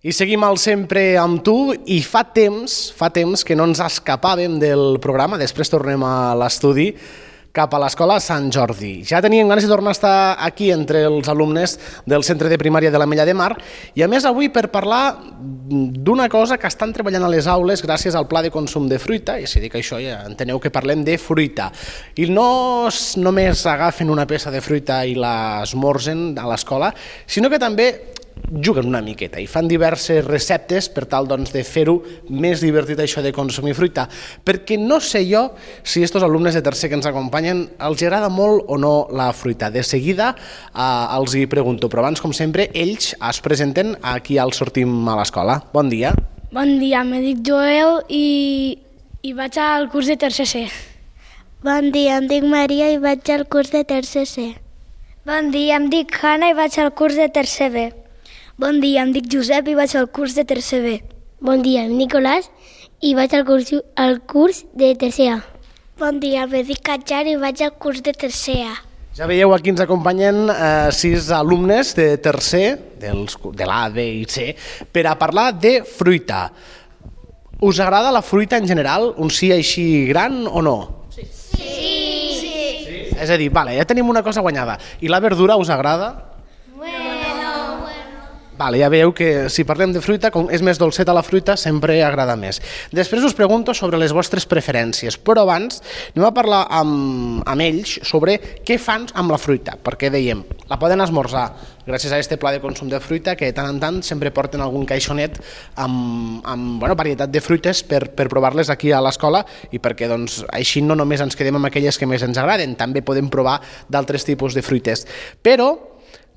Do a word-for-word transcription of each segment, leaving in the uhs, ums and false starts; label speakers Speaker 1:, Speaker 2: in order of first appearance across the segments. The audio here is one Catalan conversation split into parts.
Speaker 1: I seguim al Sempre amb tu i fa temps, fa temps que no ens escapàvem del programa, després tornem a l'estudi cap a l'Escola Sant Jordi. Ja teníem ganes de tornar a estar aquí entre els alumnes del Centre de Primària de l'Ametlla de Mar i a més avui per parlar d'una cosa que estan treballant a les aules gràcies al Pla de Consum de Fruita, i si dic això ja enteneu que parlem de fruita. I no només agafen una peça de fruita i l'esmorzen a l'escola, sinó que també juguen una miqueta i fan diverses receptes per tal doncs, de fer-ho més divertit això de consumir fruita, perquè no sé jo si estos alumnes de tercer que ens acompanyen els agrada molt o no la fruita. De seguida eh, els hi pregunto, però abans, com sempre, ells es presenten aquí al Sortim a l'Escola. Bon dia.
Speaker 2: Bon dia, me dic Joel i, i vaig al curs de tercer C.
Speaker 3: Bon dia, em dic Maria i vaig al curs de tercer C.
Speaker 4: Bon dia, em dic Hanna i vaig al curs de tercer B.
Speaker 5: Bon dia, em dic Josep i vaig al curs de tercer B.
Speaker 6: Bon dia, em dic Nicolàs i vaig al curs, al curs de tercer A.
Speaker 3: Bon dia, em dic Katjar i vaig al curs de tercer A.
Speaker 1: Ja veieu, aquí ens acompanyen eh, sis alumnes de tercer, dels, de l'A, B i C, per a parlar de fruita. Us agrada la fruita en general? Un sí així gran o no?
Speaker 3: Sí. Sí.
Speaker 1: sí. És a dir, vale, ja tenim una cosa guanyada. I la verdura us agrada? Vale, ja veieu que si parlem de fruita, com és més dolceta la fruita, sempre agrada més. Després us pregunto sobre les vostres preferències, però abans anem a parlar amb, amb ells sobre què fan amb la fruita, perquè dèiem, la poden esmorzar gràcies a aquest pla de consum de fruita que tant en tant sempre porten algun caixonet amb, amb bueno, varietat de fruites per, per provar-les aquí a l'escola i perquè doncs, així no només ens quedem amb aquelles que més ens agraden, també podem provar d'altres tipus de fruites. Però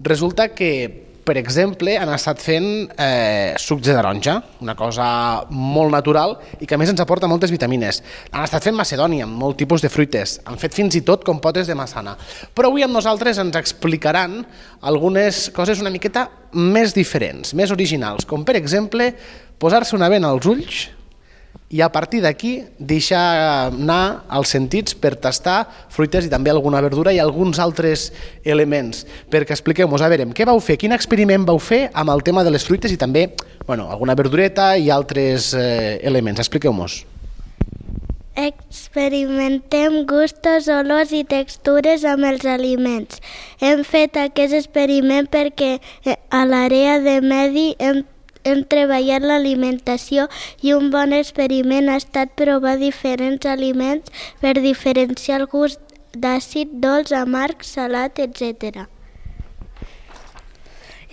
Speaker 1: resulta que per exemple, han estat fent eh, sucs de taronja, una cosa molt natural i que a més ens aporta moltes vitamines. Han estat fent macedònia, molt tipus de fruites, han fet fins i tot compotes de massana. Però avui amb nosaltres ens explicaran algunes coses una miqueta més diferents, més originals, com per exemple posar-se una vena als ulls i a partir d'aquí deixar anar els sentits per tastar fruites i també alguna verdura i alguns altres elements. Perquè expliqueu-nos, a veure, què vau fer? Quin experiment vau fer amb el tema de les fruites i també bueno, alguna verdureta i altres eh, elements? Expliqueu-nos.
Speaker 3: Experimentem gustos, olors i textures amb els aliments. Hem fet aquest experiment perquè a l'àrea de medi hem hem treballat l'alimentació i un bon experiment ha estat provar diferents aliments per diferenciar el gust d'àcid, dolç, amarg, salat, etcètera.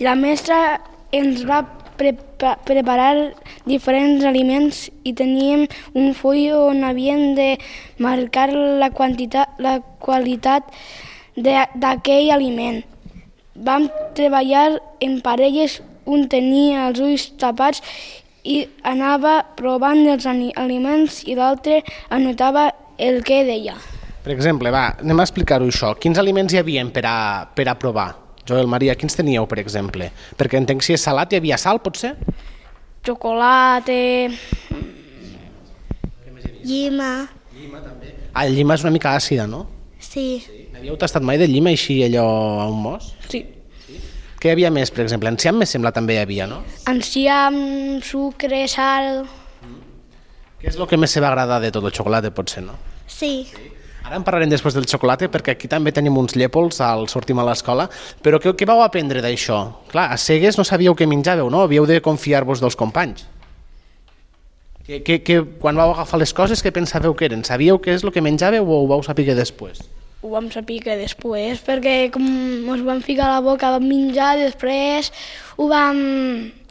Speaker 2: La mestra ens va prepa preparar diferents aliments i teníem un full on havíem de marcar la, quantitat, la qualitat d'aquell aliment. Vam treballar en parelles, un tenia els ulls tapats i anava provant els aliments i l'altre anotava el que deia.
Speaker 1: Per exemple, va, anem a explicar-ho això. Quins aliments hi havia per a, per a provar? Joel, Maria, quins teníeu, per exemple? Perquè entenc si és salat, hi havia sal, potser?
Speaker 2: Xocolata...
Speaker 3: Llima.
Speaker 1: Llima, també. Ah, el llima és una mica àcida, no?
Speaker 3: Sí.
Speaker 1: sí. Havíeu tastat mai de llima així, allò a un mos?
Speaker 2: Sí.
Speaker 1: Què hi havia més, per exemple? Enciam, me sembla, també hi havia, no?
Speaker 2: Enciam, sucre, sal...
Speaker 1: Mm. Què és el que més se va agradar de tot el xocolata, potser, no?
Speaker 3: Sí.
Speaker 1: sí. Ara en parlarem després del xocolata, perquè aquí també tenim uns llépols al Sortim a l'Escola, però què, què vau aprendre d'això? Clar, a cegues no sabíeu què menjàveu, no? Havíeu de confiar-vos dels companys. Que, que, que, quan vau agafar les coses, què pensàveu que eren? Sabíeu què és el que menjàveu o ho vau saber després?
Speaker 2: Ho vam saber que després, perquè com ens ho vam ficar a la boca, vam menjar, després ho vam,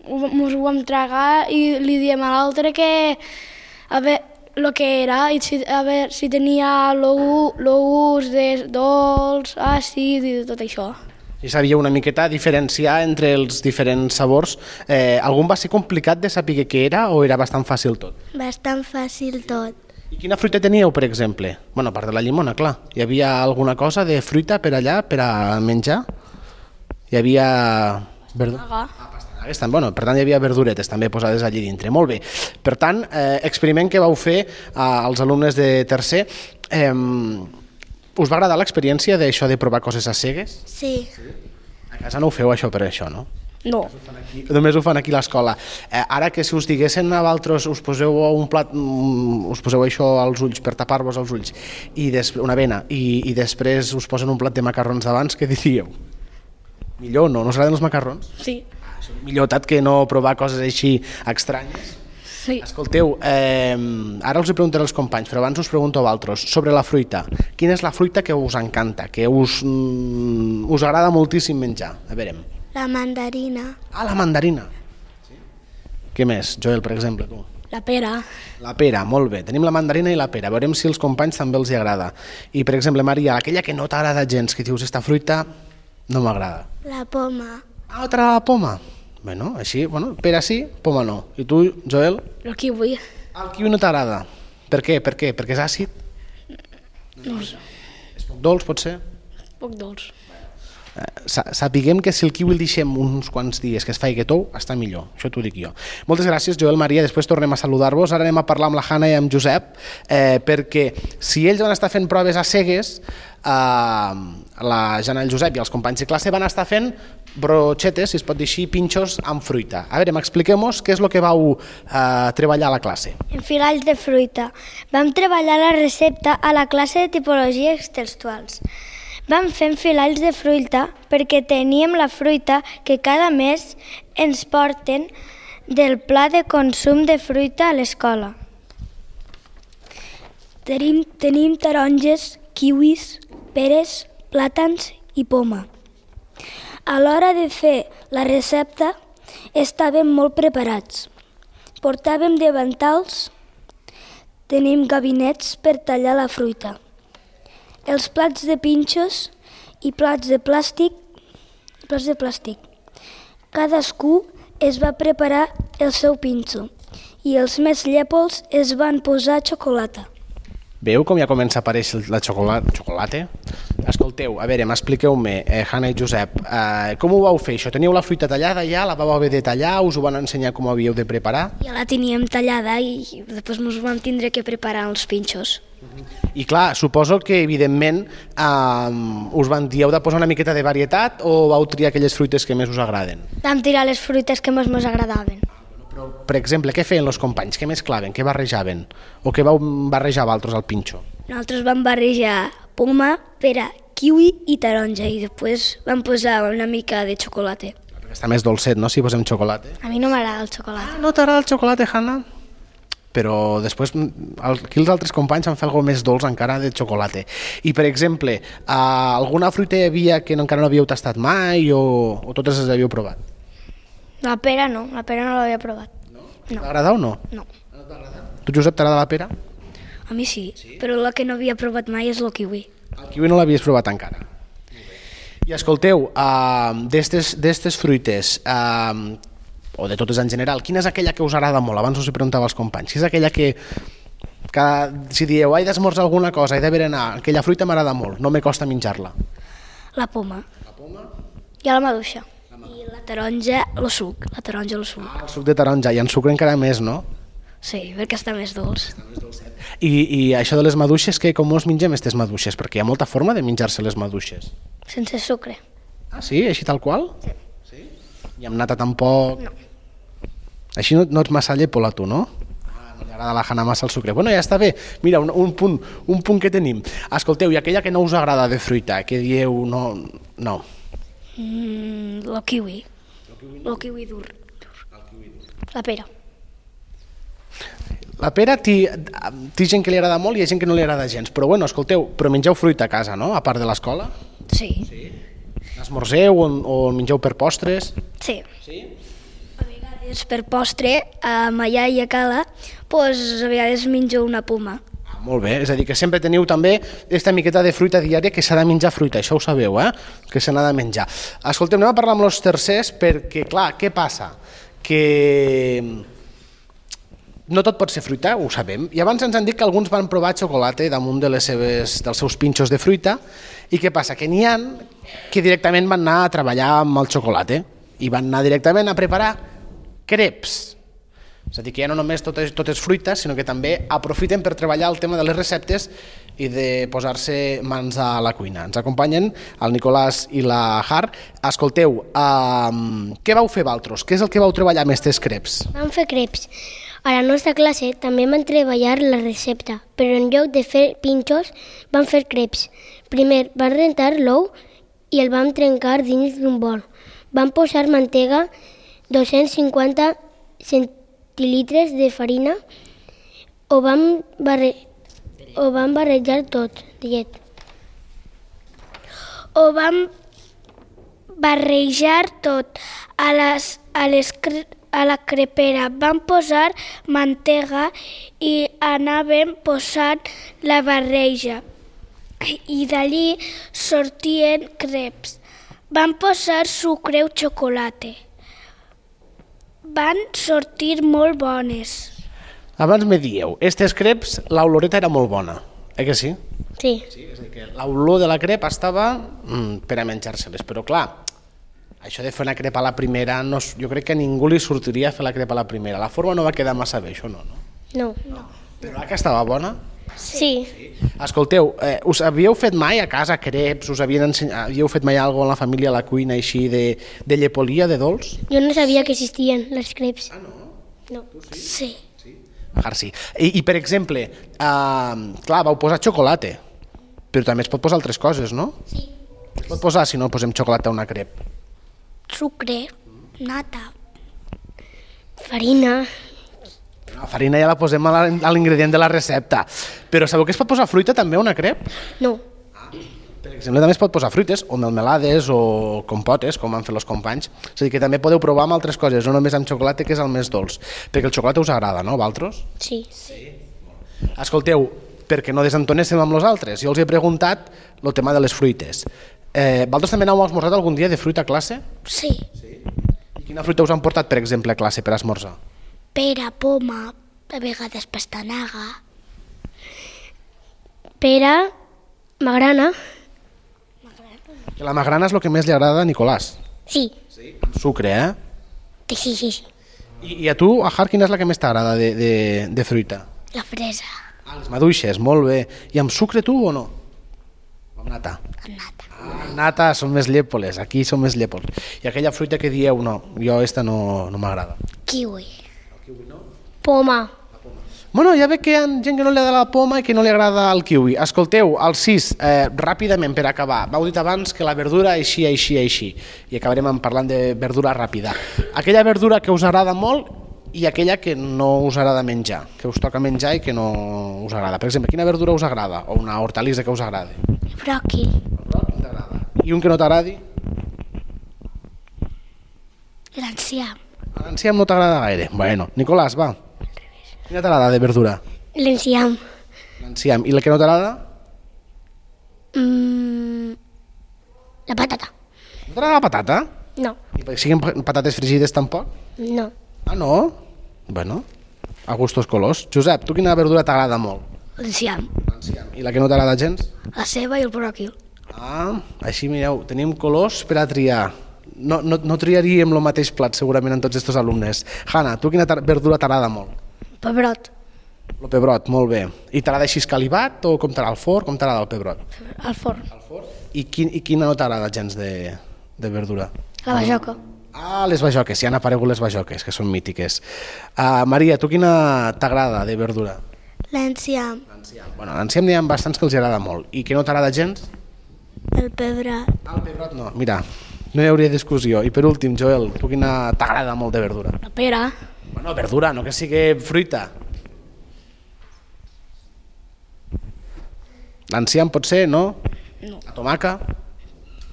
Speaker 2: ho, ho vam tragar i li diem a l'altre que a veure el que era, i si, a veure si tenia el gust de dolç, àcid i tot això.
Speaker 1: I sabíeu una miqueta diferenciar entre els diferents sabors. Eh, algun va ser complicat de saber què era o era bastant fàcil tot?
Speaker 3: Bastant fàcil tot.
Speaker 1: I quina fruita teníeu, per exemple? Bueno, a part de la llimona, clar. Hi havia alguna cosa de fruita per allà, per a menjar? Hi havia...
Speaker 2: Pastanaga.
Speaker 1: Ah, pastanagues, també. Bueno, per tant, hi havia verduretes també posades allí dintre. Molt bé. Per tant, eh, experiment que vau fer eh, als alumnes de tercer. Eh, us va agradar l'experiència d'això de provar coses a cegues?
Speaker 3: Sí.
Speaker 1: sí. A casa no ho feu això per això, no?
Speaker 2: No.
Speaker 1: Només ho fan aquí a l'escola. Eh, ara que si us diguessin a vosaltres, us poseu un plat, mm, us poseu això als ulls per tapar-vos els ulls, i des, una vena, i, i després us posen un plat de macarrons d'abans, què diríeu? Millor no? No us agraden els macarrons?
Speaker 2: Sí.
Speaker 1: Ah, és millor tant que no provar coses així estranyes.
Speaker 2: Sí.
Speaker 1: Escolteu, eh, ara us hi preguntaré als companys, però abans us pregunto a vosaltres sobre la fruita. Quina és la fruita que us encanta, que us, mm, us agrada moltíssim menjar? A veure.
Speaker 3: La mandarina.
Speaker 1: Ah, la mandarina. Sí. Què més, Joel, per exemple, tu?
Speaker 2: La pera.
Speaker 1: La pera, molt bé. Tenim la mandarina i la pera. Veurem si als companys també els hi agrada. I, per exemple, Maria, aquella que no t'agrada gens, que dius, esta fruita no m'agrada.
Speaker 3: La poma.
Speaker 1: Ah, no t'agrada la poma? Bueno, així, bueno, pera sí, poma no. I tu, Joel?
Speaker 2: El kiwi.
Speaker 1: El kiwi no t'agrada. Per què? Per què? Perquè és àcid?
Speaker 2: No ho sé.
Speaker 1: És poc dolç, pot ser?
Speaker 2: Poc dolç.
Speaker 1: Sapiguem que si el kiwi el deixem uns quants dies que es faci tou, està millor, això t'ho dic jo. Moltes gràcies, Joel, Maria, després tornem a saludar-vos. Ara anem a parlar amb la Hanna i amb Josep, eh, perquè si ells van estar fent proves a cegues, eh, la Jana i el Josep i els companys de classe van estar fent brochetes, si es pot dir així, pinxos amb fruita. A veure, m'expliqueu-nos què és el que vau eh, treballar a la classe.
Speaker 4: Enfilats de fruita. Vam treballar la recepta a la classe de tipologies textuals. Vam fer enfilats de fruita perquè teníem la fruita que cada mes ens porten del pla de consum de fruita a l'escola.
Speaker 2: Tenim, tenim taronges, kiwis, peres, plàtans i poma. A l'hora de fer la recepta estàvem molt preparats. Portàvem davantals, tenim gabinets per tallar la fruita. Els plats de pinxos i plats de plàstic, plats de plàstic. Cadascú es va preparar el seu pinxo i els més llèpols es van posar xocolata.
Speaker 1: Veu com ja comença a aparèixer la xocolata? xocolata? Escolteu, a veure, m'expliqueu-me, eh, Hanna i Josep, eh, com ho vau fer això? Teníeu la fruita tallada ja? La vau haver de tallar? Us ho van ensenyar com ho havíeu de preparar?
Speaker 2: Ja la teníem tallada i després ens vam tindre que preparar els pinxos.
Speaker 1: I clar, suposo que evidentment eh, us van dir heu de posar una miqueta de varietat o vau triar aquelles fruites que més us agraden?
Speaker 4: Vam tirar les fruites que més ens agradaven.
Speaker 1: Però, per exemple, què feien els companys? Què mesclaven? Què barrejaven? O què vau barrejar vosaltres al pinxo?
Speaker 2: Nosaltres vam barrejar poma, pera, kiwi i taronja i després vam posar una mica de xocolata.
Speaker 1: Perquè està més dolcet, no?, si posem xocolata.
Speaker 4: A mi no m'agrada el xocolata.
Speaker 1: Ah, no t'agrada el xocolata, Hanna? Però després aquí els altres companys van fer alguna més dolç encara de xocolata. I, per exemple, alguna fruita hi havia que encara no havíeu tastat mai o, o totes les havíeu provat?
Speaker 4: La pera no, la pera no l'havia provat.
Speaker 1: No?
Speaker 4: No.
Speaker 1: T'agrada o no?
Speaker 4: No.
Speaker 1: No t'agrada? Tu, Josep, t'agrada la pera?
Speaker 2: A mi sí, sí, però la que no havia provat mai és el kiwi.
Speaker 1: El kiwi no l'havies provat encara. I escolteu, uh, d'estes fruites, uh, o de totes en general, quina és aquella que us agrada molt? Abans us hi preguntava als companys. Quina és aquella que, que si dieu, he d'esmorzar alguna cosa, he de berenar, aquella fruita m'agrada molt, no me costa menjar-la?
Speaker 2: La poma.
Speaker 1: La poma?
Speaker 4: I la maduixa.
Speaker 2: I la taronja, el suc. La taronja, el suc.
Speaker 1: Ah, el suc de taronja, i en sucre encara més, no?
Speaker 2: Sí, perquè està més dolç.
Speaker 1: I, i això de les maduixes, que com us mengem aquestes maduixes? Perquè hi ha molta forma de menjar-se les maduixes.
Speaker 4: Sense sucre.
Speaker 1: Ah, sí? Així tal qual? Sí. Sí? I amb nata tampoc?
Speaker 4: No.
Speaker 1: Així no, no ets massa llepola, tu, no? Ah, no li agrada a la Hanna massa el sucre. Bueno, ja està bé. Mira, un, un, punt, un punt que tenim. Escolteu, i aquella que no us agrada de fruita, que dieu no... no.
Speaker 2: Mm, el kiwi. El kiwi dur.
Speaker 4: La pera.
Speaker 1: La pera té gent que li agrada molt i hi ha gent que no li agrada gens. Però bueno, escolteu, però mengeu fruita a casa, no? A part de l'escola?
Speaker 2: Sí.
Speaker 1: Sí. Esmorzeu o, o mengeu per postres?
Speaker 4: Sí.
Speaker 1: Sí?
Speaker 2: A vegades per postre, a allà i a cala, doncs a vegades menjo una poma.
Speaker 1: Ah, molt bé, és a dir, que sempre teniu també aquesta miqueta de fruita diària que s'ha de menjar fruita, això ho sabeu, eh? Que se n'ha de menjar. Escolteu, anem a parlar amb els tercers perquè, clar, què passa? Que no tot pot ser fruita, ho sabem, i abans ens han dit que alguns van provar xocolata damunt de les seves, dels seus pinxos de fruita, i què passa? Que n'hi ha que directament van anar a treballar amb el xocolata i van anar directament a preparar creps. És a dir, que ja no només tot és, tot és fruita, sinó que també aprofiten per treballar el tema de les receptes i de posar-se mans a la cuina. Ens acompanyen el Nicolàs i la Har. Escolteu, um, què vau fer vosaltres? Què és el que vau treballar amb aquestes creps?
Speaker 6: Vam fer creps. A la nostra classe també vam treballar la recepta, però en lloc de fer pinxos vam fer creps. Primer vam rentar l'ou i el vam trencar dins d'un bol. Vam posar mantega, dos-cents cinquanta centilitres de farina, ho vam, barre... ho vam barrejar tot de llet.
Speaker 2: Ho vam barrejar tot. A, les, a, les, a la crepera vam posar mantega i anàvem posant la barreja. I d'allí sortien creps. Van posar sucre o xocolata. Van sortir molt bones.
Speaker 1: Abans me dieu, aquestes creps, l'oloreta era molt bona, eh que sí?
Speaker 6: Sí.
Speaker 1: Sí, és a dir, que l'olor de la crep estava mm, per a menjar-se-les, però clar, això de fer una crepa a la primera, no, jo crec que a ningú li sortiria fer la crepa a la primera. La forma no va quedar massa bé, això no, no?
Speaker 6: No.
Speaker 1: no. Però la que estava bona?
Speaker 6: Sí.
Speaker 1: Sí. Escolteu, eh, us havíeu fet mai a casa creps? Us havien ensenyat, havíeu fet mai alguna cosa en la família a la cuina així de, de llepolia, de dolç?
Speaker 6: Jo no sabia que existien les creps.
Speaker 1: Ah, no?
Speaker 6: No.
Speaker 2: Sí.
Speaker 1: Sí. I, I, per exemple, eh, clar, vau posar xocolata, però també es pot posar altres coses, no?
Speaker 6: Sí.
Speaker 1: Es pot posar, si no posem xocolata a una crep?
Speaker 2: Sucre, nata.
Speaker 6: Farina.
Speaker 1: La farina ja la posem a l'ingredient de la recepta. Però sabeu que es pot posar fruita també a una crep?
Speaker 6: No.
Speaker 1: Per exemple, també es pot posar fruites, o melmelades, o compotes, com han fet els companys. És a dir, que també podeu provar amb altres coses, no només amb xocolata, que és el més dolç. Perquè el xocolata us agrada, no, vosaltres?
Speaker 6: Sí.
Speaker 1: Escolteu, perquè no desentonéssim amb els altres, jo els he preguntat el tema de les fruites. Eh, vosaltres també n'heu esmorzat algun dia de fruita a classe?
Speaker 2: Sí.
Speaker 1: I quina fruita us han portat, per exemple, a classe per esmorzar?
Speaker 2: Pera, poma, a vegades pastanaga.
Speaker 6: Pera, magrana.
Speaker 1: Que la magrana és el que més li agrada a Nicolàs.
Speaker 6: Sí.
Speaker 1: Amb sucre, eh?
Speaker 6: Sí, sí, sí.
Speaker 1: I, i a tu, a Har, quina és la que més t'agrada de, de, de fruita?
Speaker 2: La fresa.
Speaker 1: Ah, les maduixes, molt bé. I amb sucre tu o no? Amb nata?
Speaker 2: Amb nata.
Speaker 1: Ah, nata, són més llepoles, aquí són més llepoles. I aquella fruita que dieu, no, jo esta no, no m'agrada.
Speaker 2: Kiwi.
Speaker 6: Poma.
Speaker 1: Bueno, ja veig que hi ha gent que no li agrada la poma i que no li agrada el kiwi. Escolteu, el sis, eh, ràpidament per acabar. Vau dit abans que la verdura així, així, així. I acabarem parlant de verdura ràpida. Aquella verdura que us agrada molt i aquella que no us agrada menjar, que us toca menjar i que no us agrada. Per exemple, quina verdura us agrada? O una hortalissa que us agrada?
Speaker 2: Bròquil.
Speaker 1: El bròquil t'agrada. I un que no t'agradi?
Speaker 2: L'enciam.
Speaker 1: L'enciam no t'agrada gaire. Bueno, Nicolàs, va. Quina t'agrada de verdura?
Speaker 6: L'enciam.
Speaker 1: L'enciam. I la que no t'agrada?
Speaker 6: Mm, la patata.
Speaker 1: No t'agrada la patata?
Speaker 6: No.
Speaker 1: I perquè siguin patates fregides tampoc?
Speaker 6: No.
Speaker 1: Ah, no? Bueno, a gustos colors. Josep, tu quina verdura t'agrada molt?
Speaker 2: L'enciam.
Speaker 1: L'enciam. I la que no t'agrada gens?
Speaker 2: La ceba i el bròquil.
Speaker 1: Ah, així mireu, tenim colors per a triar. No, no, no triaríem el mateix plat segurament en tots aquests alumnes. Hanna, tu quina verdura t'agrada molt?
Speaker 2: Pebrot.
Speaker 1: El pebrot, molt bé. I t'agrada així escalivat o com t'agrada el forn? Com t'agrada el pebrot?
Speaker 2: Al forn.
Speaker 1: El forn? I, quin, i quina no t'agrada gens de, de verdura?
Speaker 2: La bajoca.
Speaker 1: Ah, les bajoques, ja han aparegut les bajoques, que són mítiques. Uh, Maria, tu quina t'agrada de verdura?
Speaker 3: L'enciam.
Speaker 1: Bueno, l'enciam n'hi ha bastants que els agrada molt. I que no t'agrada gens?
Speaker 3: El pebrot.
Speaker 1: Ah, el pebrot no. Mira, no hi hauria discussió. I per últim, Joel, tu quina t'agrada molt de verdura?
Speaker 2: La pera.
Speaker 1: Bueno, verdura, no que sigui fruita. L'enciam pot ser, no?
Speaker 2: No.
Speaker 1: La tomaca?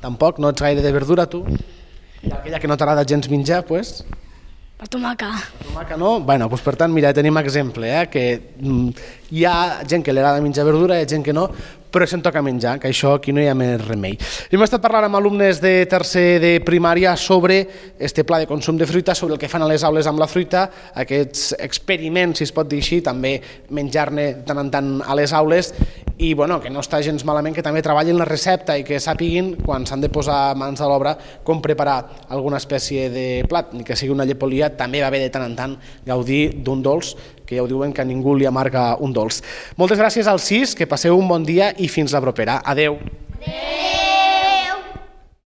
Speaker 1: Tampoc? No ets gaire de verdura, tu? I aquella que no t'agrada gens menjar, doncs... Pues?
Speaker 2: La tomaca.
Speaker 1: La tomaca no? Bueno, doncs per tant, mira, tenim exemple, eh? Que mm, hi ha gent que li agrada menjar verdura, hi ha gent que no, però se'n toca menjar, que això aquí no hi ha més remei. Hem estat parlant amb alumnes de tercer de primària sobre este pla de consum de fruita, sobre el que fan a les aules amb la fruita, aquests experiments, si es pot dir així, també menjar-ne de tant en tant a les aules, i bueno, que no està gens malament que també treballin la recepta i que sàpiguin, quan s'han de posar mans a l'obra, com preparar alguna espècie de plat, ni que sigui una llepolia, també va bé de tant en tant gaudir d'un dolç que ja ho diuen que ningú li amarga un dolç. Moltes gràcies als sis, que passeu un bon dia i fins la propera. Adeu. Adeu.